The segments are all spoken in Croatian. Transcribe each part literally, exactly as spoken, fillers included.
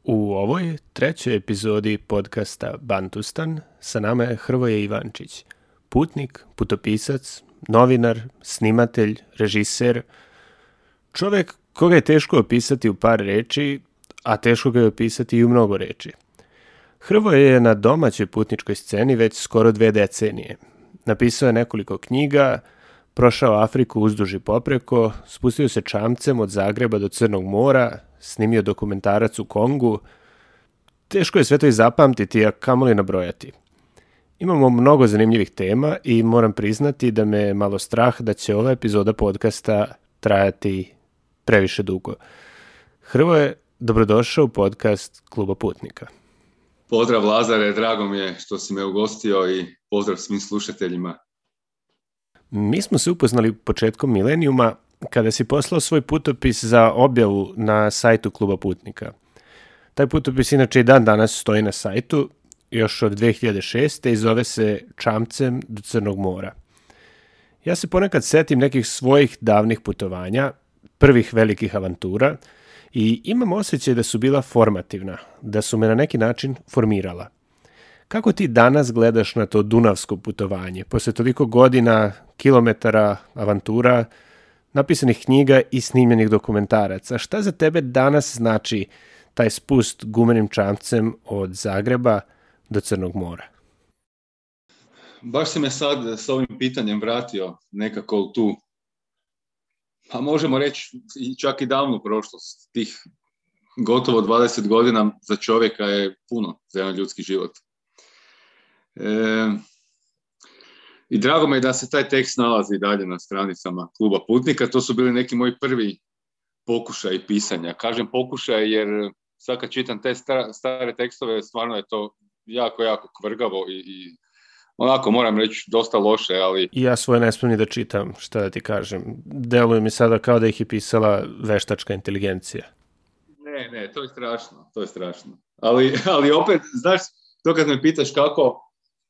U ovoj trećoj epizodi podcasta Bantustan sa nama je Hrvoje Ivančić, putnik, putopisac, novinar, snimatelj, režiser, čovjek koga je teško opisati u par reči, a teško ga je opisati i u mnogo reči. Hrvoje je na domaćoj putničkoj sceni već skoro dve decenije. Napisao je nekoliko knjiga, prošao Afriku uzduž i popreko, spustio se čamcem od Zagreba do Crnog mora, snimio dokumentarac u Kongu. Teško je sve to i zapamtiti, a kamoli nabrojati. Imamo mnogo zanimljivih tema i moram priznati da me je malo strah da će ova epizoda podcasta trajati previše dugo. Hrvoje, dobrodošao u podcast Kluba putnika. Pozdrav Lazare, drago mi je što si me ugostio i pozdrav svim slušateljima. Mi smo se upoznali početkom milenijuma kada si poslao svoj putopis za objavu na sajtu Kluba putnika. Taj putopis inače i dan danas stoji na sajtu, još od dve hiljade šeste i zove se Čamcem do Crnog mora. Ja se ponekad setim nekih svojih davnih putovanja, prvih velikih avantura, i imam osjećaj da su bila formativna, da su me na neki način formirala. Kako ti danas gledaš na to dunavsko putovanje, posle toliko godina, kilometara, avantura, napisanih knjiga i snimljenih dokumentaraca? Šta za tebe danas znači taj spust gumenim čamcem od Zagreba do Crnog mora? Baš si me sad s ovim pitanjem vratio nekako u tu, pa možemo reći čak i davnu prošlost. Tih gotovo dvadeset godina za čovjeka je puno za jedan ljudski život. E, I drago me je da se taj tekst nalazi dalje na stranicama Kluba putnika. To su bili neki moji prvi pokušaj pisanja. Kažem pokušaj jer sad kad čitam te stare tekstove, stvarno je to jako, jako kvrgavo i, i onako moram reći dosta loše, ali... Ja svoje ne smijem ni da čitam, šta da ti kažem. Deluje mi sada kao da ih je pisala veštačka inteligencija. Ne, ne, to je strašno, to je strašno. Ali, ali opet, znaš, to kad me pitaš kako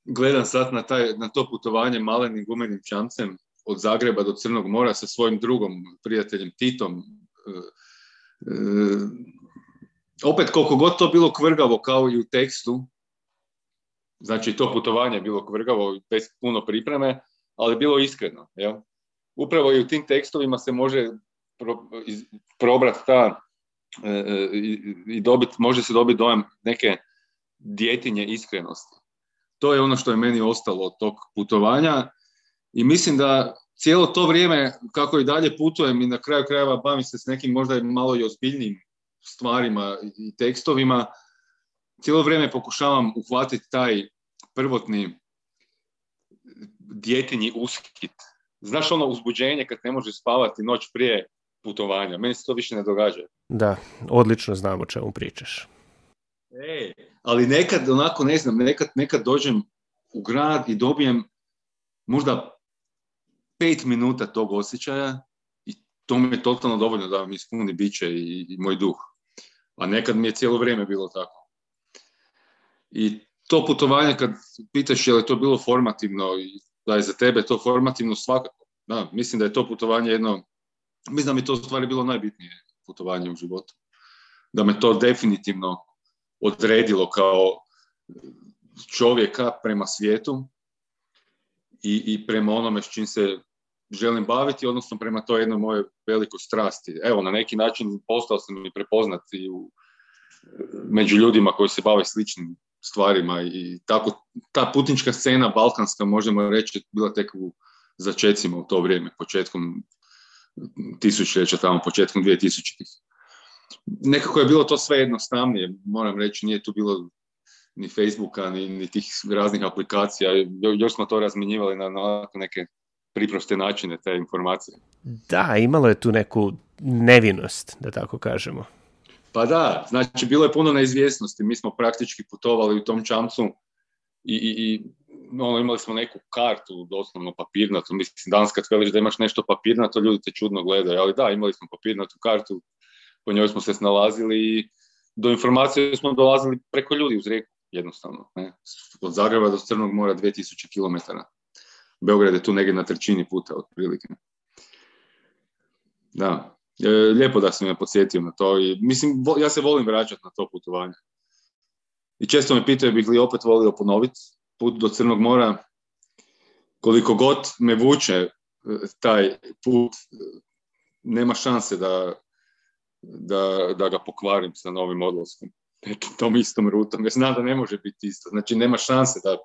gledam sad na, taj, na to putovanje malenim gumenim čamcem od Zagreba do Crnog mora sa svojim drugom prijateljem Titom, e, e, opet koliko god to bilo kvrgavo kao i u tekstu, znači to putovanje je bilo kvrgavo bez puno pripreme, ali bilo iskreno. Ja? Upravo i u tim tekstovima se može pro, iz, probrati ta e, i, i dobit, može se dobiti dojam neke djetinje iskrenosti. To je ono što je meni ostalo od tog putovanja i mislim da cijelo to vrijeme kako i dalje putujem i na kraju krajeva bavim se s nekim možda malo i ozbiljnijim stvarima i tekstovima, cijelo vrijeme pokušavam uhvatiti taj prvotni djetinji uskit. Znaš ono uzbuđenje kad ne možeš spavati noć prije putovanja. Meni se to više ne događa. Da, odlično znam o čemu pričaš. E, ali nekad, onako, ne znam, nekad, nekad dođem u grad i dobijem možda pet minuta tog osjećaja i to mi je totalno dovoljno da mi ispuni biće i, i moj duh. A nekad mi je cijelo vrijeme bilo tako. I to putovanje, kad pitaš je li to bilo formativno i da je za tebe to formativno, svakako. Da, mislim da je to putovanje jedno, mislim da mi to u stvari bilo najbitnije putovanje u životu. Da me to definitivno odredilo kao čovjeka prema svijetu i, i prema onome s čim se želim baviti, odnosno prema toj jednoj moje velikoj strasti. Evo, na neki način postao sam i prepoznat i u, među ljudima koji se bave sličnim stvarima i tako ta putnička scena balkanska, možemo reći, bila tek u začecima u to vrijeme, početkom tisućljeća, tamo početkom dvije tisućitih. Nekako je bilo to sve jednostavnije, moram reći, nije tu bilo ni Facebooka, ni, ni tih raznih aplikacija, još smo to razmjenjivali na, na neke priproste načine, te informacije. Da, imalo je tu neku nevinost, da tako kažemo. Pa da, znači bilo je puno neizvjesnosti, mi smo praktički putovali u tom čamcu i, i, i ono, imali smo neku kartu, doslovno papirnatu, mislim danas kad veliš da imaš nešto papirnato, ljudi te čudno gledaju, ali da, imali smo papirnatu kartu, po njoj smo se snalazili i do informacije smo dolazili preko ljudi uz rijeku, jednostavno. Ne? Od Zagreba do Crnog mora dvije tisuće kilometara. Beograd je tu negdje na trećini puta, otprilike. Da. E, lijepo da si me podsjetio na to. I, mislim, vo, ja se volim vraćati na to putovanje. I često me pitaju bih li opet volio ponoviti put do Crnog mora. Koliko god me vuče taj put, nema šanse da, da, da ga pokvarim sa novim odlaskom. Tom istom rutom. Ja znam da ne može biti isto. Znači, nema šanse da,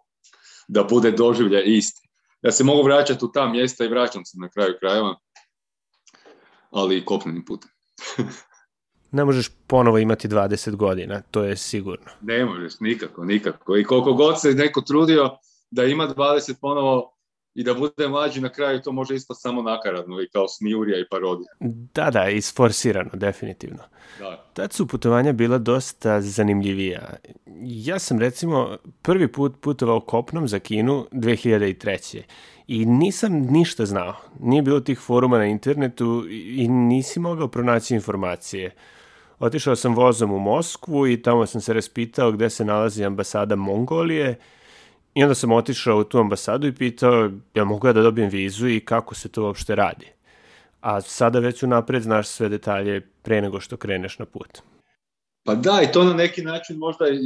da bude doživljaj isti. Ja se mogu vraćati u ta mjesta i vraćam se na kraju krajeva, ali i kopnenim putem. Ne možeš ponovo imati dvadeset godina, to je sigurno. Ne možeš, nikako, nikako. I koliko god se neko trudio da ima dvadeset ponovo i da bude mlađi, na kraju to može ispast samo nakaradno i kao smijurija i parodija. Da, da, isforsirano, definitivno. Da. Tad su putovanja bila dosta zanimljivija. Ja sam recimo prvi put putovao kopnom za Kinu dve hiljade treće. I nisam ništa znao. Nije bilo tih foruma na internetu i nisi mogao pronaći informacije. Otišao sam vozom u Moskvu i tamo sam se raspitao gde se nalazi ambasada Mongolije. I onda sam otišao u tu ambasadu i pitao jel mogu ja da dobijem vizu i kako se to uopšte radi. A sada već unapred znaš sve detalje pre nego što kreneš na put. Pa da, i to na neki način možda i,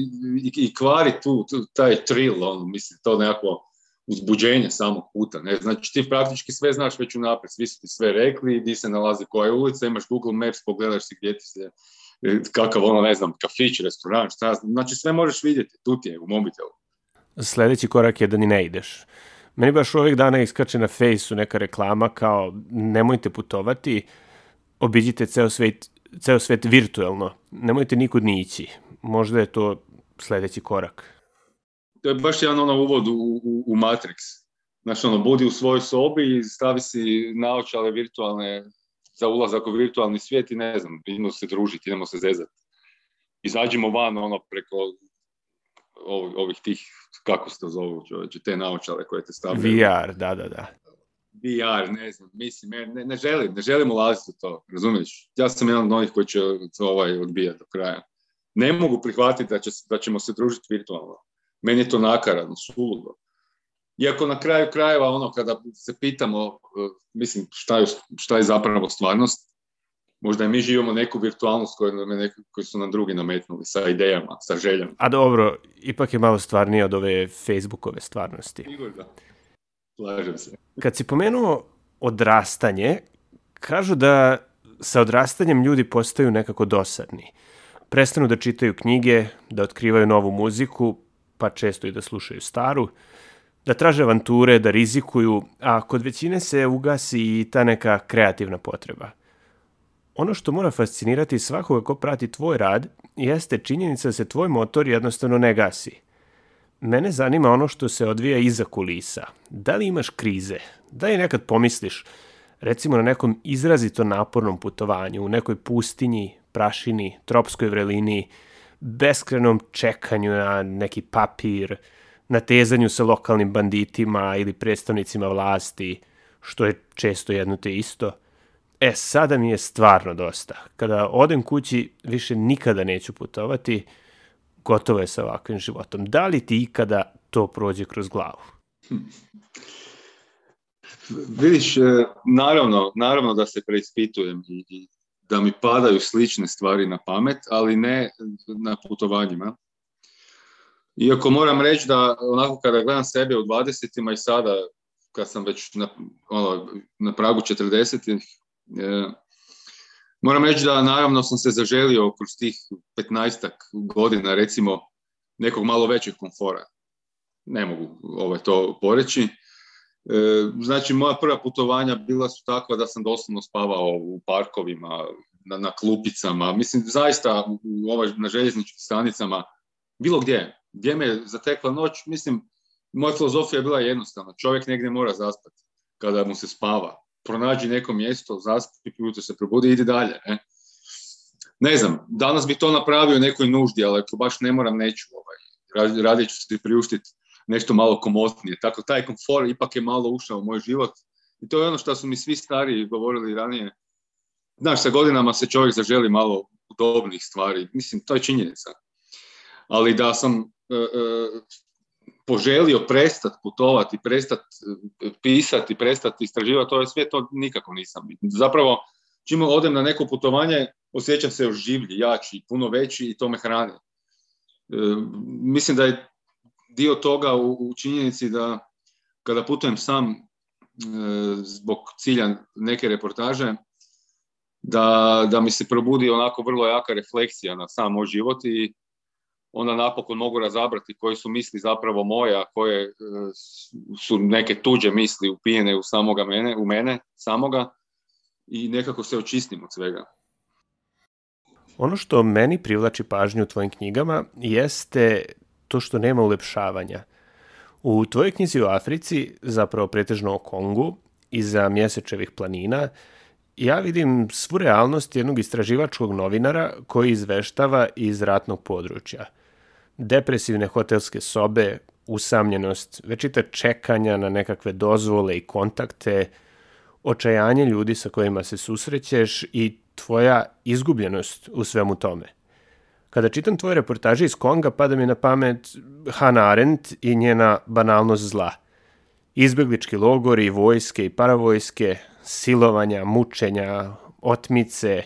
i, i kvari tu, tu taj thrill, on, mislim, to nekako uzbuđenje samog puta. Ne? Znači ti praktički sve znaš već unapred, svi su ti sve rekli, gdje se nalazi koja je ulica, imaš Google Maps, pogledaš si gdje ti se, kakav ono, ne znam, kafić, restoran, šta, znači sve možeš vidjeti, tu ti je u mobitelu. Sljedeći korak je da ni ne ideš. Meni baš ovih dana iskače na Fejsu neka reklama kao nemojte putovati, obiđite ceo svet, ceo svet virtuelno, nemojte nikud ni ići. Možda je to sljedeći korak. To je baš jedan ono uvod u, u, u Matrix. Znači ono, budi u svojoj sobi i stavi si naočale virtualne za ulazak u virtualni svijet i ne znam, idemo se družiti, idemo se zezati. Izađimo van ono preko ovih, ovih tih, kako se to zovu čovječe, te naočale koje te stavljaju. V R, da, da, da. V R, ne znam, mislim, ne, ne želim, ne želim ulaziti u to, razumiješ? Ja sam jedan od onih koji će ovaj odbijati do kraja. Ne mogu prihvatiti da, će, da ćemo se družiti virtualno. Meni je to nakaradno, suludo. Iako na kraju krajeva, ono, kada se pitamo, uh, mislim, šta je, šta je zapravo stvarnost, možda i mi živimo neku virtualnost koju, neku, koju su nam drugi nametnuli, sa idejama, sa željama. A dobro, ipak je malo stvarnije od ove Facebookove stvarnosti. Sigurno. Slažem se. Kad si pomenuo odrastanje, kažu da sa odrastanjem ljudi postaju nekako dosadni. Prestanu da čitaju knjige, da otkrivaju novu muziku, pa često i da slušaju staru, da traže avanture, da rizikuju, a kod većine se ugasi i ta neka kreativna potreba. Ono što mora fascinirati svakoga ko prati tvoj rad jeste činjenica da se tvoj motor jednostavno ne gasi. Mene zanima ono što se odvija iza kulisa. Da li imaš krize? Da li nekad pomisliš, recimo na nekom izrazito napornom putovanju, u nekoj pustinji, prašini, tropskoj vrelini, beskrenom čekanju na neki papir, natezanju sa lokalnim banditima ili predstavnicima vlasti, što je često jedno te isto. E, sada mi je stvarno dosta. Kada odem kući, više nikada neću putovati, gotovo je sa ovakvim životom. Da li ti ikada to prođe kroz glavu? Hm. Vidiš, naravno, naravno da se preispitujem i, i da mi padaju slične stvari na pamet, ali ne na putovanjima. Iako moram reći da onako kada gledam sebe u dvadesetima i sada kad sam već na, ono, na pragu četrdesetih, e, moram reći da naravno sam se zaželio kroz tih petnaestak godina recimo nekog malo većeg komfora. Ne mogu ovaj, to poreći. E, znači moja prva putovanja bila su takva da sam doslovno spavao u parkovima, na, na klupicama, mislim zaista u, u ovaj, na željezničkim stanicama, bilo gdje. Gdje me zatekla noć, mislim, moja filozofija je bila jednostavna. Čovjek negdje mora zaspati kada mu se spava. Pronađi neko mjesto, zaspi, ujutro se probudi i idi dalje. Ne? ne znam, danas bi to napravio nekoj nuždi, ali ako baš ne moram, neću. Ovaj. Radije ću se priuštiti nešto malo komotnije. Tako taj komfor ipak je malo ušao u moj život. I to je ono što su mi svi stariji govorili ranije. Znaš, sa godinama se čovjek zaželi malo udobnih stvari. Mislim, to je činjenica. Ali da sam e, e, poželio prestati putovati, prestati pisati, prestati istraživati, to je sve, to nikako nisam. Zapravo, čim odem na neko putovanje, osjećam se još življi, jači, puno veći i to me hrani. E, mislim da je dio toga u, u činjenici da kada putujem sam e, zbog cilja neke reportaže, da, da mi se probudi onako vrlo jaka refleksija na sam moj život i onda napokon mogu razabrati koje su misli zapravo moje, a koje e, su neke tuđe misli upijene u samoga mene, u mene samoga i nekako se očistim od svega. Ono što meni privlači pažnju u tvojim knjigama jeste to što nema ulepšavanja. U tvojoj knjizi o Africi, zapravo pretežno o Kongu, iza Mjesečevih planina, ja vidim svu realnost jednog istraživačkog novinara koji izveštava iz ratnog područja. Depresivne hotelske sobe, usamljenost, večita čekanja na nekakve dozvole i kontakte, očajanje ljudi sa kojima se susrećeš i tvoja izgubljenost u svemu tome. Kada čitam tvoje reportaže iz Konga, pada mi na pamet Hannah Arendt i njena banalnost zla. Izbeglički logori, vojske i paravojske, silovanja, mučenja, otmice,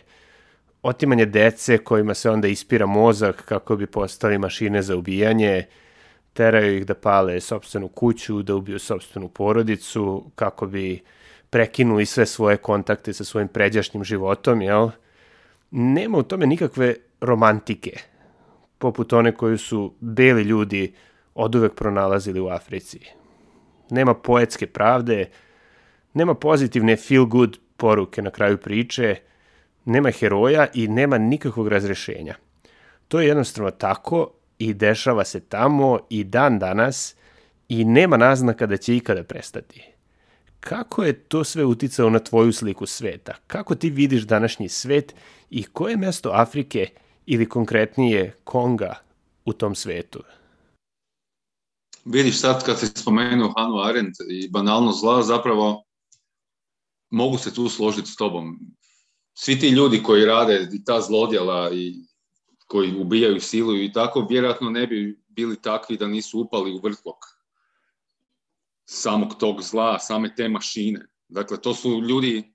otimanje dece kojima se onda ispira mozak kako bi postali mašine za ubijanje, teraju ih da pale sopstvenu kuću, da ubiju sopstvenu porodicu, kako bi prekinuli sve svoje kontakte sa svojim pređašnjim životom, jel? Nema u tome nikakve romantike, poput one koju su beli ljudi oduvek pronalazili u Africi. Nema poetske pravde, nema pozitivne feel-good poruke na kraju priče, nema heroja i nema nikakvog razrešenja. To je jednostavno tako i dešava se tamo i dan danas i nema naznaka da će ikada prestati. Kako je to sve uticalo na tvoju sliku sveta? Kako ti vidiš današnji svet i koje je mesto Afrike ili konkretnije Konga u tom svetu? Vidiš, sad kad si spomenuo Hannah Arendt i banalnost zla, zapravo mogu se tu složiti s tobom. Svi ti ljudi koji rade i ta zlodjela i koji ubijaju, siluju i tako, vjerojatno ne bi bili takvi da nisu upali u vrtlog samog tog zla, same te mašine. Dakle, to su ljudi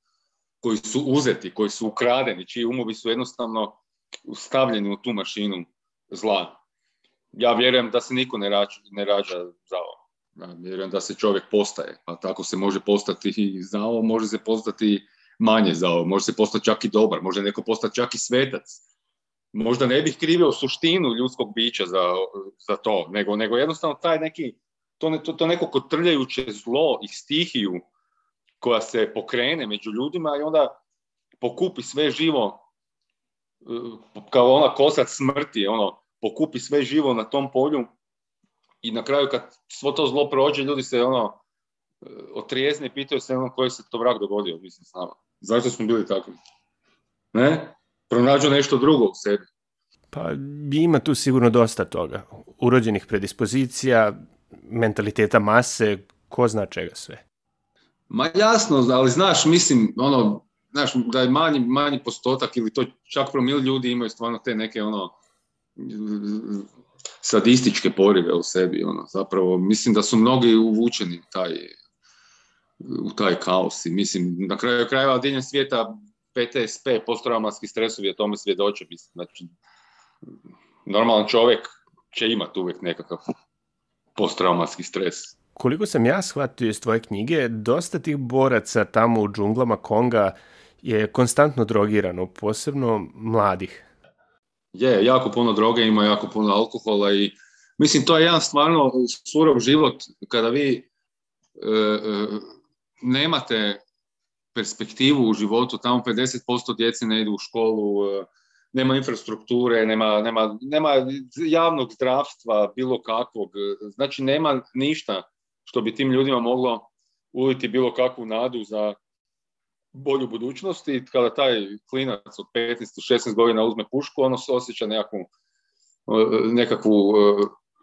koji su uzeti, koji su ukradeni, čiji umovi su jednostavno stavljeni u tu mašinu zla. Ja vjerujem da se niko ne rađa, ne rađa zao. Ja vjerujem da se čovjek postaje, pa tako se može postati i zao, može se postati manje zao, može se postati čak i dobar, može neko postati čak i svetac. Možda ne bih krivio suštinu ljudskog bića za, za to, nego, nego jednostavno taj neki, to, ne, to, to neko kotrljajuće zlo i stihiju koja se pokrene među ljudima i onda pokupi sve živo, kao ona kosac smrti, ono, pokupi sve živo na tom polju i na kraju kad svo to zlo prođe, ljudi se ono otrijezne i pitaju se ono koji se to vrag dogodio, mislim, s nama. Zašto smo bili takvi? Ne? Pronađu nešto drugo u sebi. Pa ima tu sigurno dosta toga. Urođenih predispozicija, mentaliteta mase, ko zna čega sve. Ma jasno, ali znaš, mislim, ono, znaš, da je manji, manji postotak ili to čak promil ljudi imaju stvarno te neke, ono, sadističke porive u sebi, ono, zapravo, mislim da su mnogi uvučeni u taj, u taj kaos i mislim, na kraju krajeva diljem svijeta P T S P, posttraumatski stresovi, o tome svjedoče, mislim, znači, normalan čovjek će imati uvijek nekakav posttraumatski stres. Koliko sam ja shvatio iz tvoje knjige, dosta tih boraca tamo u džunglama Konga je konstantno drogirano, posebno mladih. Je, jako puno droge ima, jako puno alkohola i mislim, to je jedan stvarno surov život kada vi e, e, nemate perspektivu u životu, tamo pedeset posto djece ne idu u školu, e, nema infrastrukture, nema, nema, nema javnog zdravstva, bilo kakvog, znači nema ništa što bi tim ljudima moglo uliti bilo kakvu nadu za bolju budućnost i kada taj klinac od petnaest do šesnaest godina uzme pušku, ono se osjeća nekakvu, nekakvu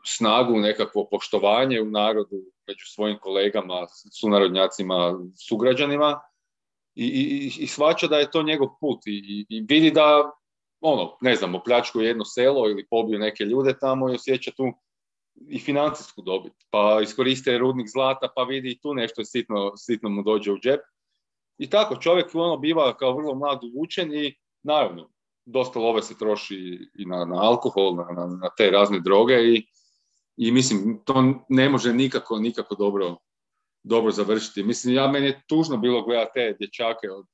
snagu, nekakvo poštovanje u narodu među svojim kolegama, sunarodnjacima, sugrađanima i, i, i shvaća da je to njegov put i, i vidi da, ono, ne znam, opljačkuje jedno selo ili pobiju neke ljude tamo i osjeća tu i financijsku dobit. Pa iskoriste rudnik zlata, pa vidi i tu nešto sitno, sitno mu dođe u džep. I tako, čovjek ono biva kao vrlo mlad uvučen i naravno, dosta love se troši i na, na alkohol, na, na, na te razne droge i, i mislim, to ne može nikako, nikako dobro, dobro završiti. Mislim, ja, meni je tužno bilo gledati te dječake od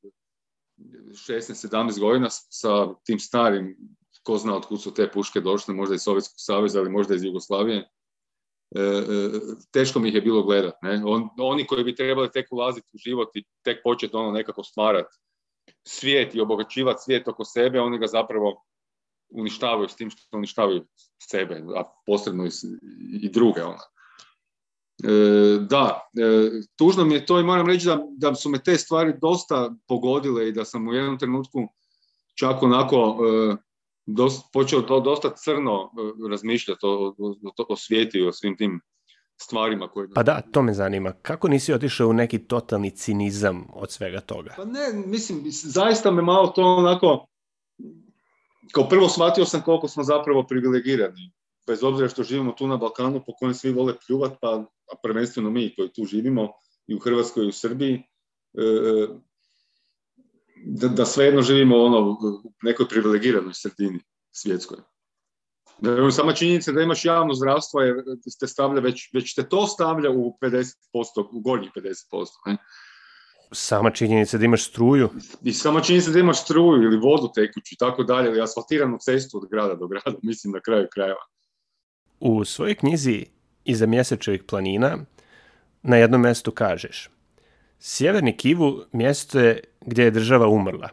šesnaest sedamnaest godina sa tim starim, ko zna od kud su te puške došle, možda iz Sovjetskog saveza, ali možda iz Jugoslavije. E, e, teško mi ih je bilo gledati. Ne? On, oni koji bi trebali tek ulaziti u život i tek početi ono nekako stvarati svijet i obogaćivati svijet oko sebe, oni ga zapravo uništavaju s tim što uništavaju sebe, a posredno i, i druge. Ona. E, da, e, tužno mi je to i moram reći da, da su me te stvari dosta pogodile i da sam u jednom trenutku čak onako e, dosta, počeo to dosta crno e, razmišljati o, o, o, o svijetu i o svim tim stvarima koje... Pa da, to me zanima. Kako nisi otišao u neki totalni cinizam od svega toga? Pa ne, mislim, zaista me malo to onako... Kao prvo shvatio sam koliko smo zapravo privilegirani. Bez obzira što živimo tu na Balkanu po kojem svi vole pljuvat, pa a prvenstveno mi koji tu živimo i u Hrvatskoj i u Srbiji, e, da, da svejedno živimo ono, u nekoj privilegiranoj sredini svjetskoj. Sama činjenica da imaš javno zdravstvo je, te stavlja već, već te to stavlja u pedeset posto, u gornjih pedeset posto. Ne? Sama činjenica da imaš struju. I sama činjenica da imaš struju ili vodu tekuću i tako dalje, ili asfaltiranu cestu od grada do grada, mislim na kraju krajeva. U svojoj knjizi Iza mjesečevih planina na jednom mjestu kažeš: Sjeverni Kivu mjesto je gdje je država umrla,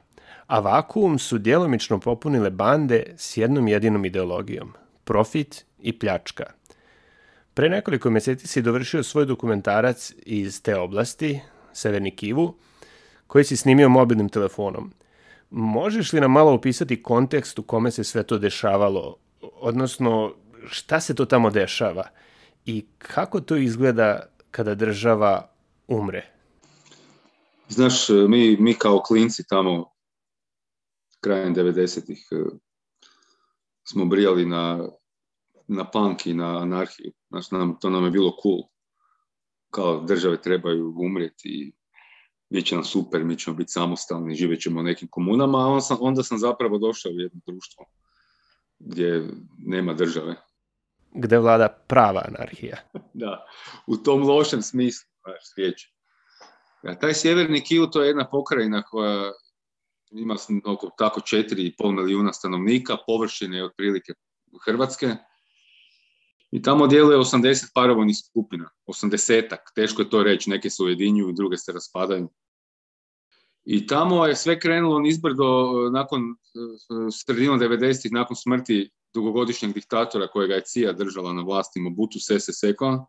a vakuum su djelomično popunile bande s jednom jedinom ideologijom, profit i pljačka. Pre nekoliko mjeseci si dovršio svoj dokumentarac iz te oblasti, Severni Kivu, koji si snimio mobilnim telefonom. Možeš li nam malo opisati kontekst u kome se sve to dešavalo, odnosno šta se to tamo dešava i kako to izgleda kada država umre? Znaš, mi, mi kao klinci tamo krajem devedesetih smo brijali na, na punk i na anarhiju. Znaš, nam, to nam je bilo cool. Kao države trebaju umrijeti i bit će nam super, mi ćemo biti samostalni, živjet ćemo u nekim komunama, a onda sam, onda sam zapravo došao u jedno društvo gdje nema države. Gde vlada prava anarhija. Da, u tom lošem smislu, znaš, riječi. Ja, taj Sjeverni Kivu to je jedna pokrajina koja ima oko tako četiri i pol milijuna stanovnika, površine je otprilike Hrvatske. I tamo djeluje osamdeset paravojnih skupina, osamdesetak, teško je to reći, neke se ujedinjuju, druge se raspadaju. I tamo je sve krenulo nizbrdo nakon sredinom devedesetih, nakon smrti dugogodišnjeg diktatora kojega je C I A držala na vlasti, Mobutu Sese Sekoa.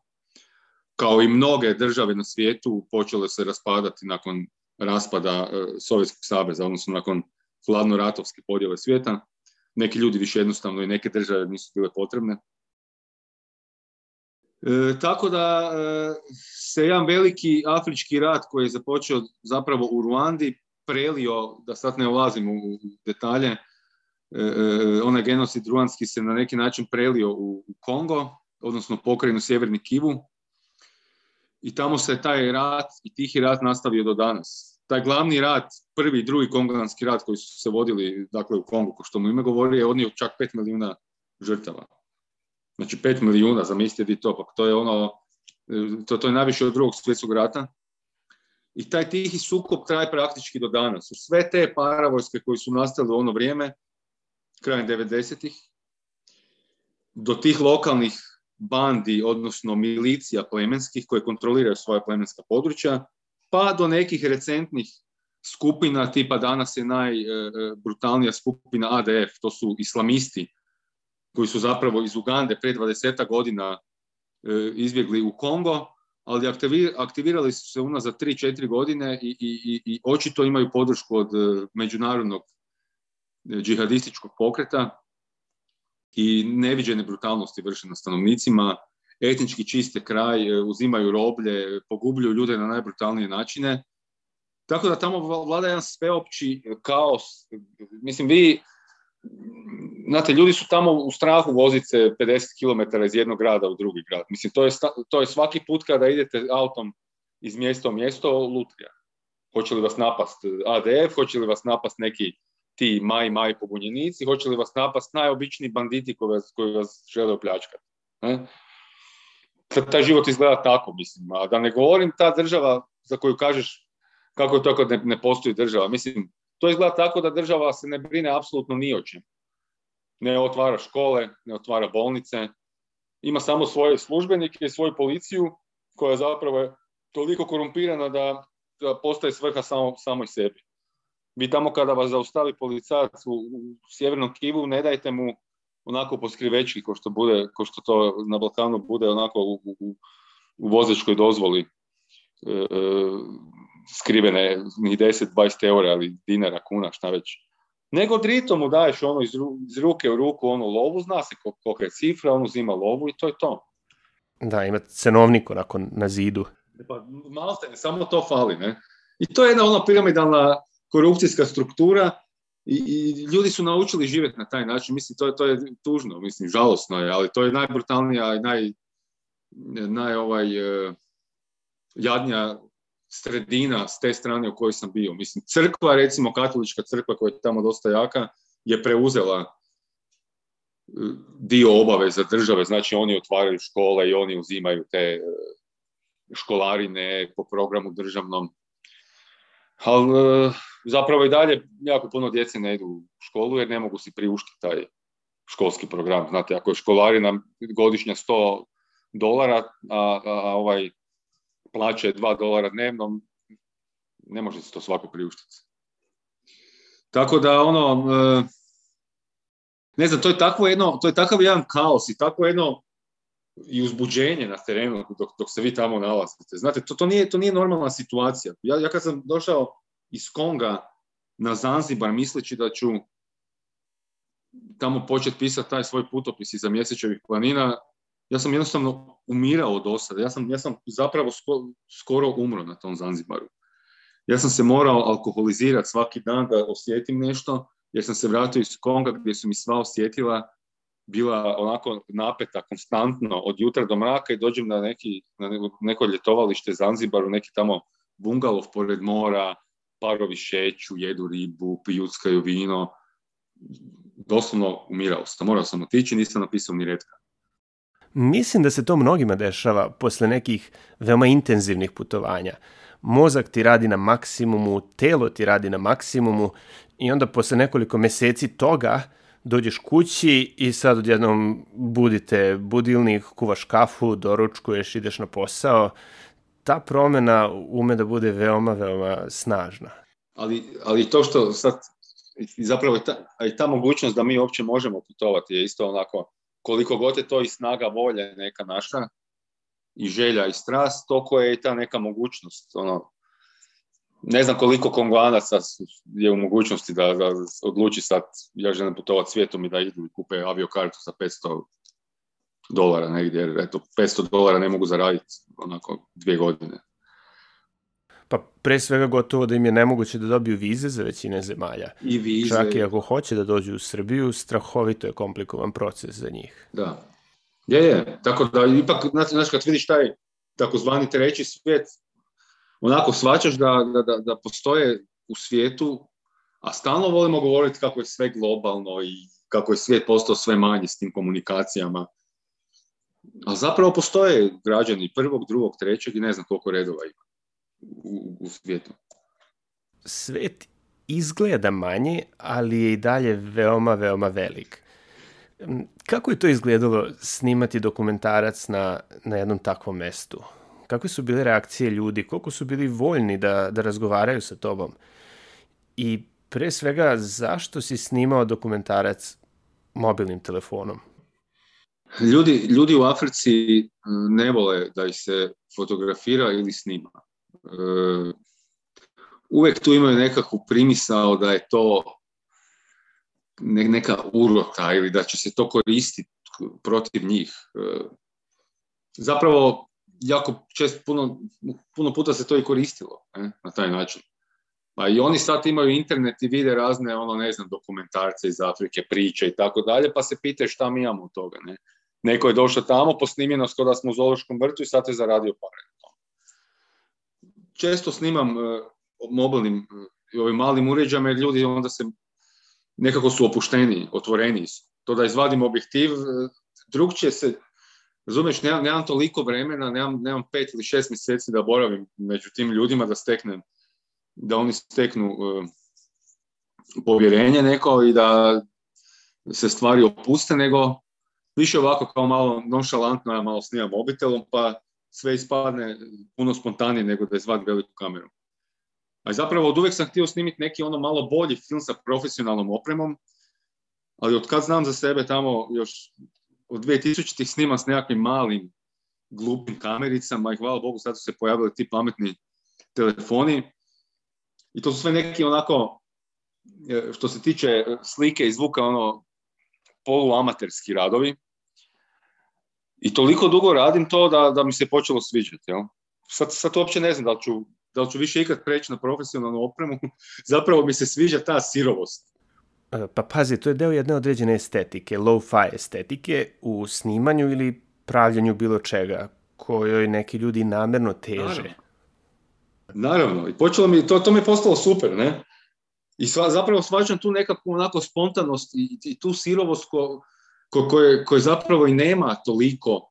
Kao i mnoge države na svijetu, počele se raspadati nakon raspada Sovjetskog saveza, odnosno nakon hladno-ratovske podjele svijeta. Neki ljudi više jednostavno i neke države nisu bile potrebne. E, tako da e, se jedan veliki afrički rat koji je započeo zapravo u Ruandi prelio, da sad ne ulazim u detalje, e, e, onaj genocid ruandski se na neki način prelio u, u Kongo, odnosno pokrajinu Sjeverni Kivu, i tamo se taj rat i tihi rat nastavio do danas. Taj glavni rat, prvi i drugi kongolanski rat koji su se vodili, dakle, u Kongu, ko što mu ime govori, je odnio čak pet milijuna žrtava. Znači pet milijuna, zamislite vi to, pa to je ono, to, to je najviše od drugog svjetskog rata. I taj tihi sukob traje praktički do danas. U sve te paravojske koji su nastale u ono vrijeme, krajem devedesetih, do tih lokalnih bandi, odnosno milicija plemenskih koje kontroliraju svoja plemenska područja, pa do nekih recentnih skupina, tipa danas je najbrutalnija skupina A D F, to su islamisti, koji su zapravo iz Ugande pre dvadeset godina e, izbjegli u Kongo, ali aktivirali su se unazad tri četiri godine i, i, i očito imaju podršku od e, međunarodnog e, džihadističkog pokreta i neviđene brutalnosti vrše na stanovnicima, etnički čiste kraj, e, uzimaju roblje, pogubljuju ljude na najbrutalnije načine. Tako da tamo vlada jedan sveopći kaos. Mislim, vi znate, ljudi su tamo u strahu voziti se pedeset kilometara iz jednog grada u drugi grad. Mislim, to je, to je svaki put kada idete autom iz mjesta u mjesto lutrija. Hoće li vas napast A D F, hoće li vas napast neki ti maj, maj pobunjenici, hoće li vas napast najobičniji banditi koji vas, koji vas žele opljačkati. Ne? Taj život izgleda tako, mislim. A da ne govorim ta država za koju kažeš kako je to kad ne, ne postoji država. Mislim, to izgleda tako da država se ne brine apsolutno ni o čem. Ne otvara škole, ne otvara bolnice, ima samo svoje službenike i svoju policiju koja zapravo je toliko korumpirana da, da postaje svrha samo, samoj sebi. Vi tamo kada vas zaustavi policajac u, u sjevernom Kivu, ne dajte mu onako po skrivečki, ko što, bude, ko što to na Balkanu bude onako u, u, u vozačkoj dozvoli e, e, skrivene ni deset dvadeset eura ili dinara, kuna, šta već. Nego drito mu daješ ono iz, ru, iz ruke u ruku onu lovu, zna se kolika je cifra, on uzima lovu i to je to. Da, ima cenovnik onako na zidu. Pa malo se, samo to fali, ne? I to je jedna ona piramidalna korupcijska struktura i, i ljudi su naučili živjeti na taj način. Mislim, to je, to je tužno, mislim, žalosno je, ali to je najbrutalnija i naj, naj ovaj, uh, jadnija sredina s te strane u kojoj sam bio. Mislim, crkva, recimo katolička crkva koja je tamo dosta jaka, je preuzela dio obaveza države, znači oni otvaraju škole i oni uzimaju te školarine po programu državnom. Ali zapravo i dalje jako puno djece ne idu u školu jer ne mogu si priuštiti taj školski program. Znate, ako je školarina godišnja sto dolara, a, a, a ovaj plaća je dva dolara dnevno, ne može se to svako priuštiti. Tako da ono, ne znam, to je takvo jedno, to je takav jedan kaos i takvo jedno i uzbuđenje na terenu dok, dok se vi tamo nalazite. Znate, to, to, nije, to nije normalna situacija. Ja, ja kad sam došao iz Konga na Zanzibar misleći da ću tamo početi pisati taj svoj putopis iza Mjesečevih planina, ja sam jednostavno umirao od osade. Ja sam, ja sam zapravo skoro, skoro umro na tom Zanzibaru. Ja sam se morao alkoholizirati svaki dan da osjetim nešto, jer sam se vratio iz Konga gdje su mi sva osjetila bila onako napeta konstantno od jutra do mraka i dođem na, neki, na neko ljetovalište Zanzibaru, neki tamo bungalov pored mora, parovi šeću, jedu ribu, pijuckaju vino. Doslovno umirao sam. Morao sam otići, nisam napisao ni retka. Mislim da se to mnogima dešava posle nekih veoma intenzivnih putovanja. Mozak ti radi na maksimumu, telo ti radi na maksimumu i onda posle nekoliko meseci toga dođeš kući i sad odjednom budite budilnik, kuvaš kafu, doručkuješ, ideš na posao. Ta promjena ume da bude veoma, veoma snažna. Ali, ali to što sad, zapravo i ta, i ta mogućnost da mi uopće možemo putovati je isto onako, koliko god je to i snaga volje neka naša, i želja i strast, toliko je i ta neka mogućnost. Ono, ne znam koliko Konganaca je u mogućnosti da, da odluči sad, ja želim putovati svijetom i da idu i kupe aviokartu za petsto dolara negdje, jer eto, petsto dolara ne mogu zaraditi onako dvije godine. Pa pre svega gotovo da im je nemoguće da dobiju vize za većine zemalja. I vize. Čak i ako hoće da dođu u Srbiju, strahovito je komplikovan proces za njih. Da. Je, je. Tako da ipak, znaš, kad vidiš taj takozvani treći svijet, onako shvaćaš da, da, da postoje u svijetu, a stalno volimo govoriti kako je sve globalno i kako je svijet postao sve manji s tim komunikacijama. A zapravo postoje građani prvog, drugog, trećeg i ne znam koliko redova ima u, u svijetu. Svet izgleda manji, ali je i dalje veoma, veoma velik. Kako je to izgledalo snimati dokumentarac na, na jednom takvom mestu? Kakve su bile reakcije ljudi? Koliko su bili voljni da, da razgovaraju sa tobom? I pre svega, zašto si snimao dokumentarac mobilnim telefonom? Ljudi, ljudi u Africi ne vole da ih se fotografira ili snima. Uvijek tu imaju nekakvu primisao da je to neka urota ili da će se to koristiti protiv njih. Zapravo, jako često, puno, puno puta se to i koristilo, ne, na taj način. Pa i oni sad imaju internet i vide razne, ono, ne znam, dokumentarce iz Afrike, priče i tako dalje, pa se pitaju šta mi imamo od toga, ne. Neko je došao tamo, posnimljeno skoro da smo u zoološkom vrtu i sad je zaradio pare. Često snimam mobilnim i ovim malim uređajima, jer ljudi onda se nekako su opušteniji, otvoreniji su. To da izvadim objektiv, drugčije se, razumiješ, nemam, nemam toliko vremena, nemam, nemam pet ili šest mjeseci da boravim među tim ljudima, da steknem, da oni steknu uh, povjerenje neko i da se stvari opuste, nego više ovako kao malo nonšalantno, ja malo snimam mobitelom, pa sve ispadne puno spontanije nego da izvadim veliku kameru. A zapravo od uvijek sam htio snimiti neki ono malo bolji film sa profesionalnom opremom, ali od kad znam za sebe tamo još od dvije tisućitih snimam s nekakvim malim glupim kamericama i hvala Bogu sad su se pojavili ti pametni telefoni i to su sve neki onako, što se tiče slike i zvuka, ono poluamaterski radovi. I toliko dugo radim to da, da mi se počelo sviđati. Jel? Sad, sad uopće ne znam da li ću, da li ću više ikad preći na profesionalnu opremu. Zapravo mi se sviđa ta sirovost. Pa pazi, to je deo jedne određene estetike, low-fi estetike u snimanju ili pravljanju bilo čega, kojoj neki ljudi namjerno teže. Naravno. Naravno. I počelo mi, to, to mi je postalo super, ne? I sva, zapravo svađam tu nekakvu onako spontanost i, i tu sirovost ko, ko, koje, koje zapravo i nema toliko,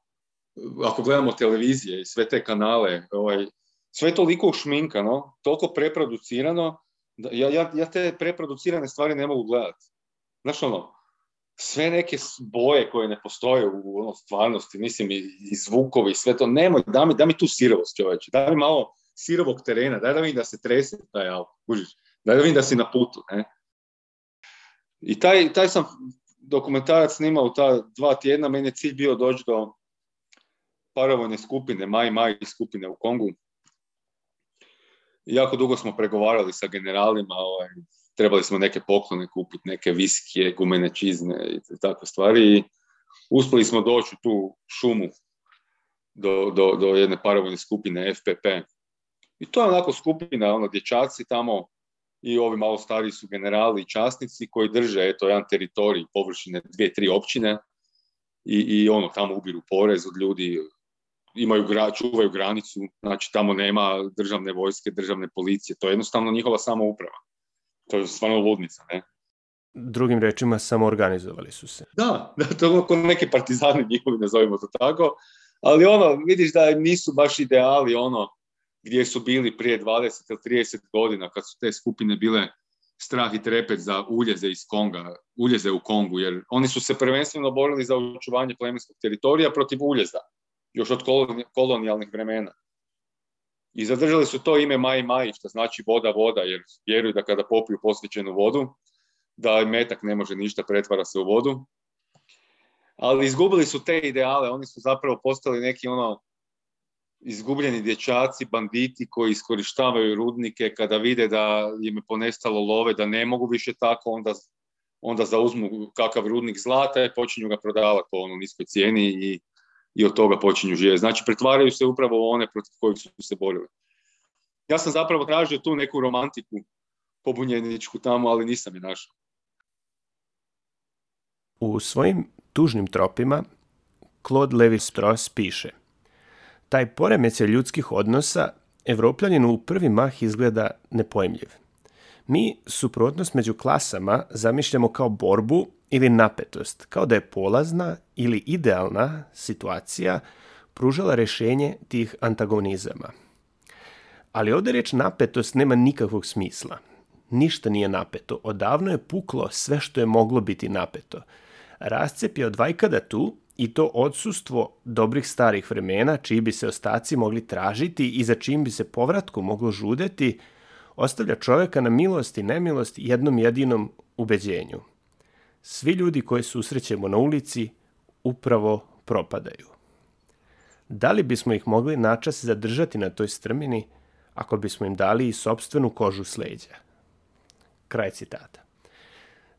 ako gledamo televizije i sve te kanale, ovaj, sve je toliko ušminkano, toliko preproducirano, da ja, ja, ja te preproducirane stvari ne mogu gledati. Znaš ono, sve neke boje koje ne postoje u ono, stvarnosti, mislim i, i zvukovi i sve to, nemoj, da mi, da mi tu sirovost čovječe, da mi malo sirovog terena, daj da vidim da se trese taj auto, kužiš. Da vidim da si na putu, ne? I taj, taj sam dokumentarac snimao ta dva tjedna, meni je cilj bio doći do paravojne skupine, Mai Mai skupine u Kongu. I jako dugo smo pregovarali sa generalima, ovaj, trebali smo neke poklone kupiti, neke viskije, gumene čizme i takve stvari. I uspjeli smo doći u tu šumu do, do, do jedne paravojne skupine F P P. I to je onako skupina, ono, dječaci tamo, i ovi malo stariji su generali i časnici koji drže eto, jedan teritorij površine dvije, tri općine i, i ono, tamo ubiru porez od ljudi, imaju, čuvaju granicu, znači tamo nema državne vojske, državne policije, to je jednostavno njihova samouprava. To je stvarno ludnica, ne? Drugim rečima, samoorganizovali su se. Da, da, to je kao neki partizani njihovi, nazovimo to tako, ali ono, vidiš da nisu baš ideali ono, gdje su bili prije dvadeset ili trideset godina, kad su te skupine bile strah i trepet za uljeze iz Konga, uljeze u Kongu, jer oni su se prvenstveno borili za očuvanje plemenskog teritorija protiv uljeza, još od kolonijalnih vremena. I zadržali su to ime Mai Mai, što znači voda, voda, jer vjeruju da kada popiju posvećenu vodu, da metak ne može ništa, pretvara se u vodu. Ali izgubili su te ideale, oni su zapravo postali neki ono izgubljeni dječaci, banditi koji iskorištavaju rudnike, kada vide da im je ponestalo love, da ne mogu više tako, onda, onda zauzmu kakav rudnik zlata i počinju ga prodavati po ono niskoj cijeni i, i od toga počinju živjeti. Znači, pretvaraju se upravo u one protiv kojih su se borili. Ja sam zapravo tražio tu neku romantiku pobunjeničku tamo, ali nisam je našao. U svojim tužnim tropima Claude Lévi-Strauss piše: taj poremećaj ljudskih odnosa Evropljaninu u prvi mah izgleda nepojmljiv. Mi suprotnost među klasama zamišljamo kao borbu ili napetost, kao da je polazna ili idealna situacija pružala rješenje tih antagonizama. Ali ovdje riječ napetost nema nikakvog smisla. Ništa nije napeto. Odavno je puklo sve što je moglo biti napeto. Rascep je od vajkada tu i to odsustvo dobrih starih vremena, čiji bi se ostaci mogli tražiti i za čim bi se povratku moglo žudeti, ostavlja čovjeka na milost i nemilost jednom jedinom ubeđenju. Svi ljudi koje susrećemo na ulici upravo propadaju. Da li bismo ih mogli načas zadržati na toj strmini ako bismo im dali i sopstvenu kožu s leđa? Kraj citata.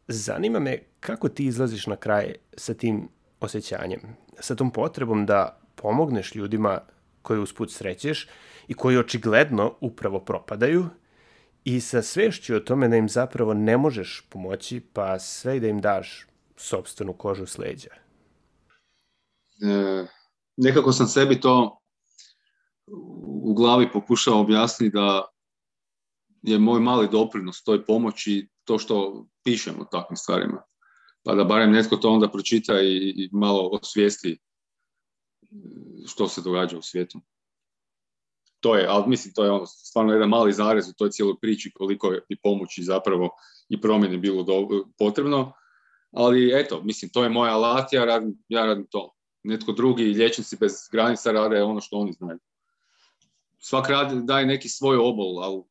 Zanima me kako ti izlaziš na kraj sa tim osjećanjem, sa tom potrebom da pomogneš ljudima koje usput srećeš i koji očigledno upravo propadaju i sa svešću o tome da im zapravo ne možeš pomoći, pa sve i da im daš sopstvenu kožu s leđa. E, nekako sam sebi to u glavi pokušao objasniti da je moj mali doprinos toj pomoći to što pišem o takvim stvarima. Pa da barem netko to onda pročita i, i malo osvijesti što se događa u svijetu. To je, ali mislim, to je ono, stvarno jedan mali zarez u toj cijeloj priči koliko je i pomoći zapravo i promjene bilo do, potrebno. Ali eto, mislim, to je moj alat, ja radim, ja radim to. Netko drugi, liječnici bez granica rade ono što oni znaju. Svak radi, daje neki svoj obol, ali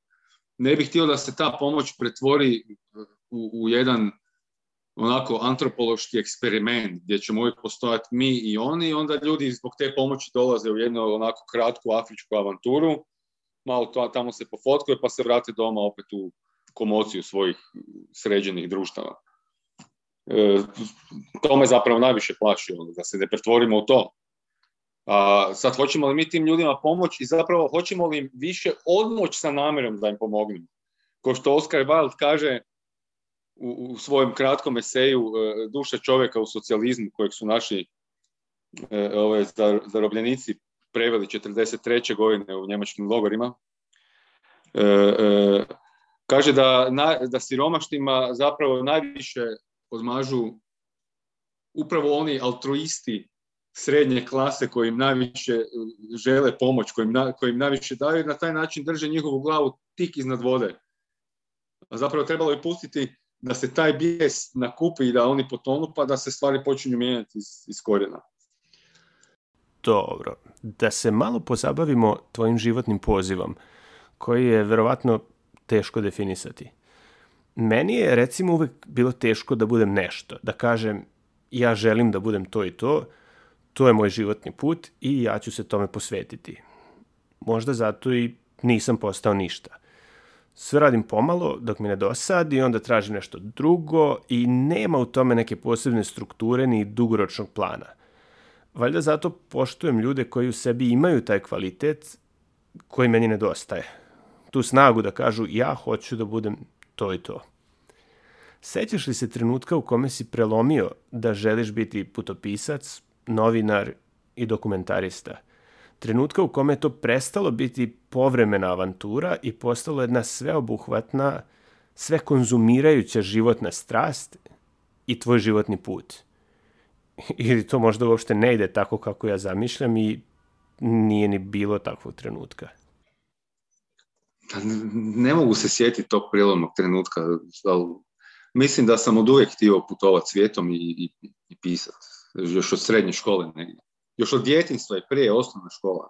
ne bih htio da se ta pomoć pretvori u, u jedan onako antropološki eksperiment gdje ćemo uvijek postojati mi i oni i onda ljudi zbog te pomoći dolaze u jednu onako kratku afričku avanturu, malo to, tamo se pofotkaju pa se vrate doma opet u komociju svojih sređenih društava. E, to me zapravo najviše plaši, da se ne pretvorimo u to. A sad hoćemo li mi tim ljudima pomoći i zapravo hoćemo li im više odmoći sa namjerom da im pomognemo. Ko što Oscar Wilde kaže u, u svojem kratkom eseju Duša čovjeka u socijalizmu, kojeg su naši e, ove, zarobljenici preveli četrdeset treće godine u njemačkim logorima, e, e, kaže da, na, da siromašnima zapravo najviše odmažu upravo oni altruisti srednje klase koji im najviše žele pomoć, koji im, na, koji im najviše daju i na taj način drže njihovu glavu tik iznad vode. A zapravo trebalo je pustiti da se taj bijes nakupi i da oni potonu pa da se stvari počinju mijenjati iz, iz korijena. Dobro, da se malo pozabavimo tvojim životnim pozivom, koji je verovatno teško definisati. Meni je recimo uvek bilo teško da budem nešto, da kažem ja želim da budem to i to, to je moj životni put i ja ću se tome posvetiti. Možda zato i nisam postao ništa. Sve radim pomalo dok mi ne dosadi, onda tražim nešto drugo i nema u tome neke posebne strukture ni dugoročnog plana. Valjda zato poštujem ljude koji u sebi imaju taj kvalitet koji meni nedostaje. Tu snagu da kažu ja hoću da budem to i to. Sećaš li se trenutka u kome si prelomio da želiš biti putopisac, novinar i dokumentarista? Trenutka u kome je to prestalo biti povremena avantura i postalo jedna sveobuhvatna, sve konzumirajuća životna strast i tvoj životni put. Ili to možda uopšte ne ide tako kako ja zamišljam i nije ni bilo takvog trenutka. Ne mogu se sjetiti tog prijelomnog trenutka, ali mislim da sam od uvijek htio putovati svijetom i, i, i pisati. Još od srednje škole negdje. Još od djetinjstva i prije osnovna škola.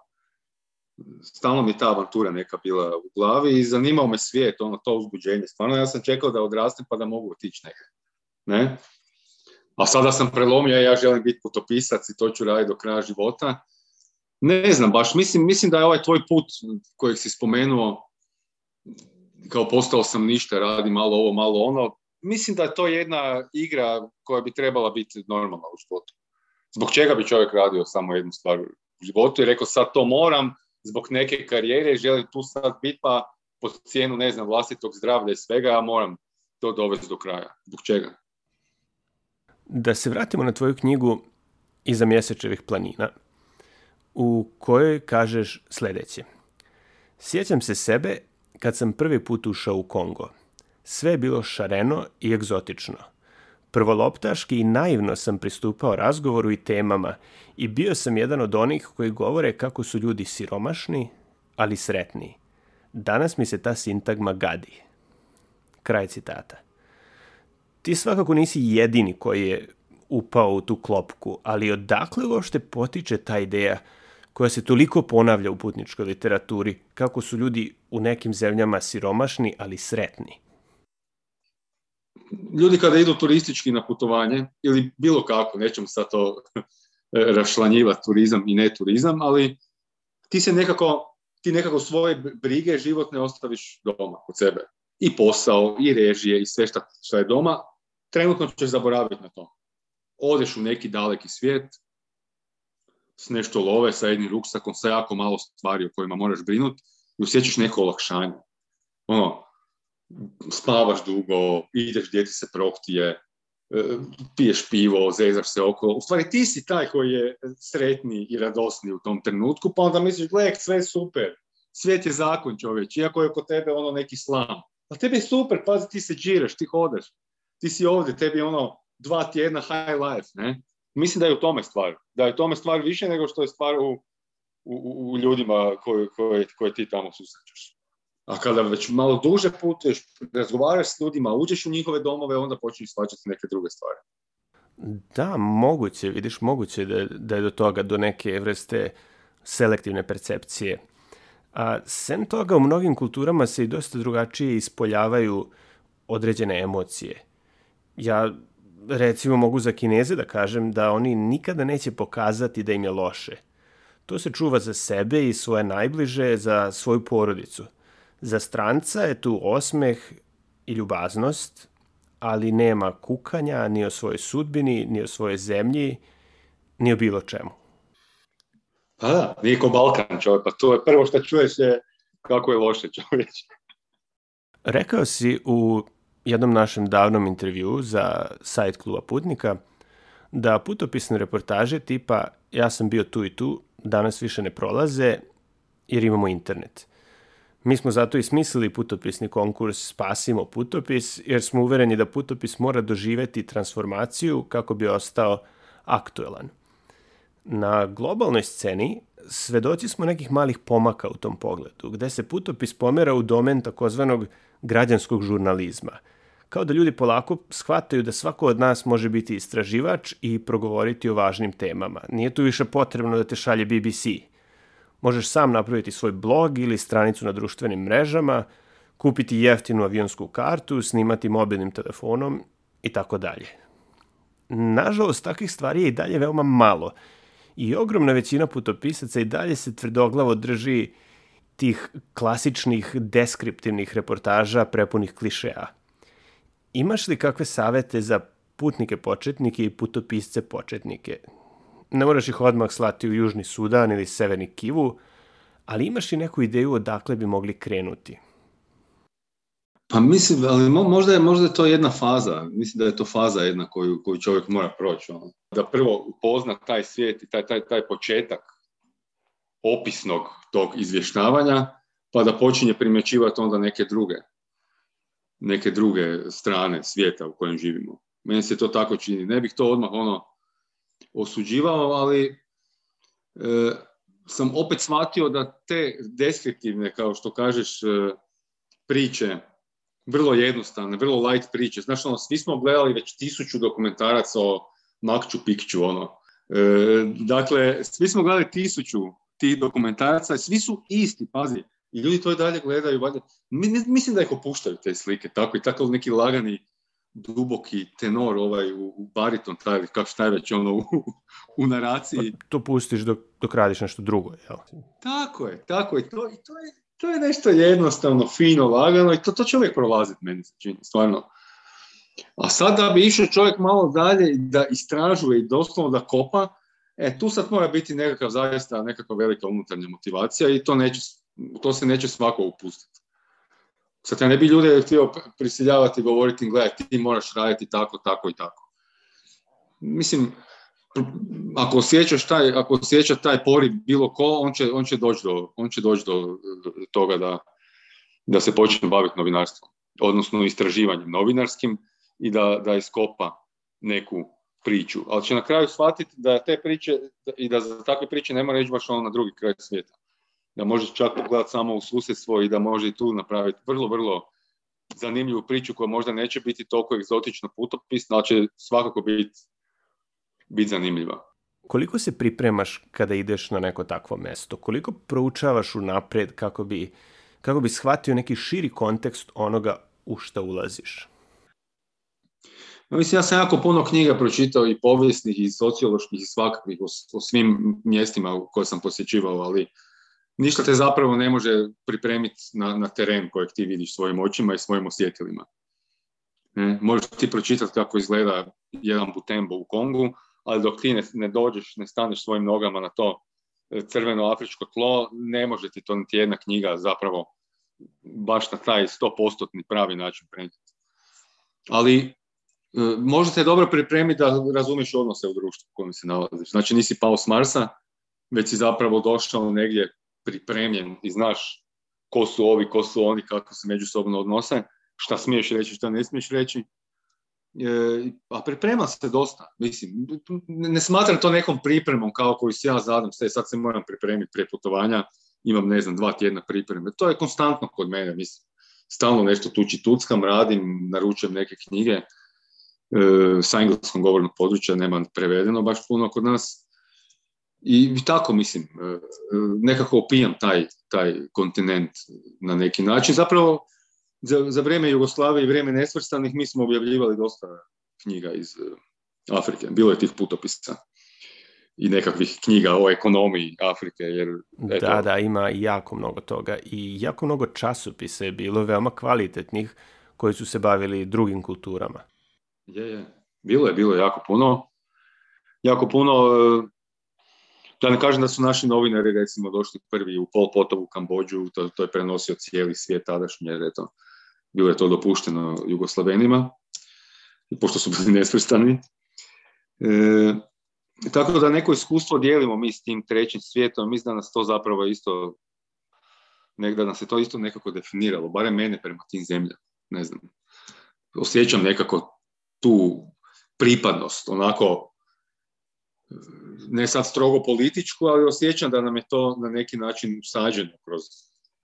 Stalno mi ta avantura neka bila u glavi i zanimao me svijet, ono, to uzbuđenje. Stvarno ja sam čekao da odrastem pa da mogu otići nekaj. Ne? A sada sam prelomio, ja želim biti putopisac i to ću raditi do kraja života. Ne znam baš, mislim, mislim da je ovaj tvoj put kojeg si spomenuo, kao postao sam ništa, radi malo ovo, malo ono, mislim da je to jedna igra koja bi trebala biti normalna u životu. Zbog čega bi čovjek radio samo jednu stvar u životu i rekao sad to moram, zbog neke karijere, želim tu sad biti pa po cijenu, ne znam, vlastitog zdravlja i svega, ja moram to dovesti do kraja. Zbog čega? Da se vratimo na tvoju knjigu Iza mjesečevih planina, u kojoj kažeš sljedeće. Sjećam se sebe kad sam prvi put ušao u Kongo. Sve je bilo šareno i egzotično. Prvoloptaški i naivno sam pristupao razgovoru i temama i bio sam jedan od onih koji govore kako su ljudi siromašni, ali sretni. Danas mi se ta sintagma gadi. Kraj citata. Ti svakako nisi jedini koji je upao u tu klopku, ali odakle uopšte potiče ta ideja koja se toliko ponavlja u putničkoj literaturi, kako su ljudi u nekim zemljama siromašni, ali sretni? Ljudi kada idu turistički na putovanje, ili bilo kako, nećemo sad to rašlanjivati turizam i ne turizam, ali ti se nekako, ti nekako svoje brige životne ostaviš doma kod sebe. I posao, i režije, i sve šta, šta je doma, trenutno ćeš zaboraviti na to. Odeš u neki daleki svijet, s nešto love, sa jednim ruksakom, sa jako malo stvari o kojima moraš brinuti i osjećaš neko olakšanje. Ono, spavaš dugo, ideš gdje ti se prohtije, piješ pivo, zezaš se okolo. U stvari ti si taj koji je sretni i radosni u tom trenutku, pa onda misliš, gled, sve super, svijet je zakon, čovječ, iako je kod tebe ono neki slam. A tebi je super, pazi, ti se džiraš, ti hodeš, ti si ovdje, tebi je ono dva tjedna high life, ne? Mislim da je u tome stvar. Da je u tome stvar više nego što je stvar u, u, u ljudima koje, koje, koje ti tamo susrećeš. A kada već malo duže putuješ, razgovaraš s ljudima, uđeš u njihove domove, onda počneš shvaćati neke druge stvari. Da, moguće, vidiš, moguće da, da je do toga, do neke vrste selektivne percepcije. A sem toga, u mnogim kulturama se i dosta drugačije ispoljavaju određene emocije. Ja, recimo, mogu za Kineze da kažem da oni nikada neće pokazati da im je loše. To se čuva za sebe i svoje najbliže, za svoju porodicu. Za stranca je tu osmeh i ljubaznost, ali nema kukanja ni o svojoj sudbini, ni o svojoj zemlji, ni o bilo čemu. Pa da, nije ko Balkan, čovjek, pa to je prvo što čuješ je kako je loše, čovječ. Rekao si u jednom našem davnom intervjuu za sajt Kluba putnika da putopisne reportaže tipa ja sam bio tu i tu danas više ne prolaze jer imamo internet. Mi smo zato i smislili putopisni konkurs Spasimo putopis, jer smo uvereni da putopis mora doživjeti transformaciju kako bi ostao aktuelan. Na globalnoj sceni svedoci smo nekih malih pomaka u tom pogledu, gde se putopis pomera u domen takozvanog građanskog žurnalizma. Kao da ljudi polako shvataju da svako od nas može biti istraživač i progovoriti o važnim temama. Nije tu više potrebno da te šalje B B C. Možeš sam napraviti svoj blog ili stranicu na društvenim mrežama, kupiti jeftinu avionsku kartu, snimati mobilnim telefonom i tako dalje. Nažalost, takvih stvari je i dalje veoma malo i ogromna većina putopisaca i dalje se tvrdoglavo drži tih klasičnih deskriptivnih reportaža prepunih klišeja. Imaš li kakve savete za putnike početnike i putopisce početnike? Ne moraš ih odmah slati u Južni Sudan ili Severni Kivu, ali imaš i neku ideju odakle bi mogli krenuti? Pa mislim, ali možda je, možda je to jedna faza. Mislim da je to faza jedna koju, koju čovjek mora proći. Ono. Da prvo upozna taj svijet i taj, taj, taj početak opisnog tog izvještavanja, pa da počinje primjećivati onda neke druge, neke druge strane svijeta u kojem živimo. Meni se to tako čini. Ne bih to odmah ono osuđivao, ali e, sam opet shvatio da te deskriptivne, kao što kažeš, e, priče, vrlo jednostavne, vrlo light priče. Znaš, ono, svi smo gledali već tisuću dokumentaraca o Machu Picchu, ono. E, dakle, svi smo gledali tisuću tih dokumentaraca, svi su isti, pazi. I ljudi to i dalje gledaju, valjda. Mislim da ih opuštaju te slike, tako i tako neki lagani, duboki tenor, ovaj, u bariton, taj, kako šta je već ono, u, u naraciji. Pa to pustiš dok, dok radiš nešto drugo, jel? Tako je, tako je. To, i to je, to je nešto jednostavno, fino, lagano i to, to će uvijek prolaziti, meni se čini, stvarno. A sad da bi išao čovjek malo dalje, da istražuje i doslovno da kopa, e, tu sad mora biti nekakav zaista, nekakva velika unutarnja motivacija i to, neće, to se neće svako upustiti. Sad ja ne bi ljude htio prisiljavati i govoriti, gledaj, ti moraš raditi tako, tako i tako. Mislim, ako osjećaš taj, ako osjeća taj poriv bilo ko, on će, on će doći do, on će doći do toga da, da se počne baviti novinarstvom, odnosno istraživanjem novinarskim i da, da iskopa neku priču. Ali će na kraju shvatiti da te priče i da za takve priče ne mora ići baš ono na drugi kraj svijeta. Da može čak pogledati samo u susjedstvo i da može i tu napraviti vrlo, vrlo zanimljivu priču koja možda neće biti toliko egzotično putopisna, ali će svakako biti bit zanimljiva. Koliko se pripremaš kada ideš na neko takvo mesto? Koliko proučavaš unaprijed kako bi, kako bi shvatio neki širi kontekst onoga u šta ulaziš? No, mislim, ja sam jako puno knjiga pročitao i povijesnih i socioloških i svakakvih o, o svim mjestima koje sam posjećivao, ali ništa te zapravo ne može pripremiti na, na teren kojeg ti vidiš svojim očima i svojim osjetilima. Ne? Možeš ti pročitati kako izgleda jedan Butembo u Kongu, ali dok ti ne, ne dođeš, ne staneš svojim nogama na to crveno afričko tlo, ne može ti to niti jedna knjiga zapravo baš na taj sto posto pravi način prenijeti. Ali e, može te dobro pripremiti da razumiješ odnose u društvu u kojem se nalaziš. Znači nisi pao s Marsa, već si zapravo došao negdje pripremljen i znaš ko su ovi, ko su oni, kako se međusobno odnose, šta smiješ reći, šta ne smiješ reći. E, a priprema se dosta, mislim, ne smatram to nekom pripremom kao koju se ja zadam, sve, sad se moram pripremiti prije putovanja, imam, ne znam, dva tjedna pripreme, to je konstantno kod mene, mislim, stalno nešto tuči tuckam, radim, naručujem neke knjige, e, sa engleskom govornog područja nema prevedeno baš puno kod nas, i, i tako, mislim, e, nekako opijam taj, taj kontinent na neki način, zapravo, Za, za vrijeme Jugoslavije i vrijeme nesvrstanih mi smo objavljivali dosta knjiga iz uh, Afrike. Bilo je tih putopisa i nekakvih knjiga o ekonomiji Afrike. Jer, eto, da, da, ima jako mnogo toga. I jako mnogo časopisa je bilo veoma kvalitetnih koji su se bavili drugim kulturama. Je, je. Bilo je, bilo je jako puno. Jako puno, uh, da ne kažem da su naši novinari recimo došli prvi u Pol Potovu Kambodžu, to, to je prenosio cijeli svijet tadašnji, jer eto, bilo je to dopušteno Jugoslavenima, pošto su bili nesvrstani. E, tako da neko iskustvo dijelimo mi s tim trećim svijetom, mislim da nas to zapravo isto, da nas je to isto nekako definiralo, barem mene prema tim zemljama, ne znam. Osjećam nekako tu pripadnost, onako, ne sad strogo političku, ali osjećam da nam je to na neki način usađeno kroz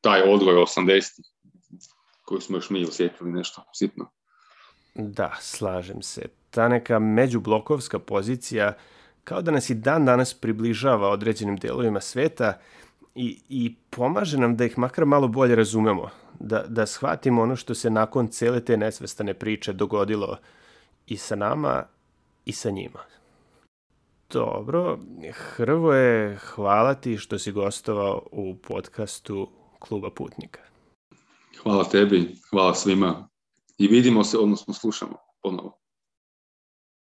taj odgoj osamdesetih, koju smo još mi osjetili nešto sitno. Da, slažem se. Ta neka međublokovska pozicija kao da nas i dan danas približava određenim delovima sveta i, i pomaže nam da ih makar malo bolje razumemo, da, da shvatimo ono što se nakon cele te nesvestane priče dogodilo i sa nama i sa njima. Dobro, Hrvoje, hvala ti što si gostovao u podcastu Kluba putnika. Hvala tebi, hvala svima i vidimo se, odnosno slušamo ponovo.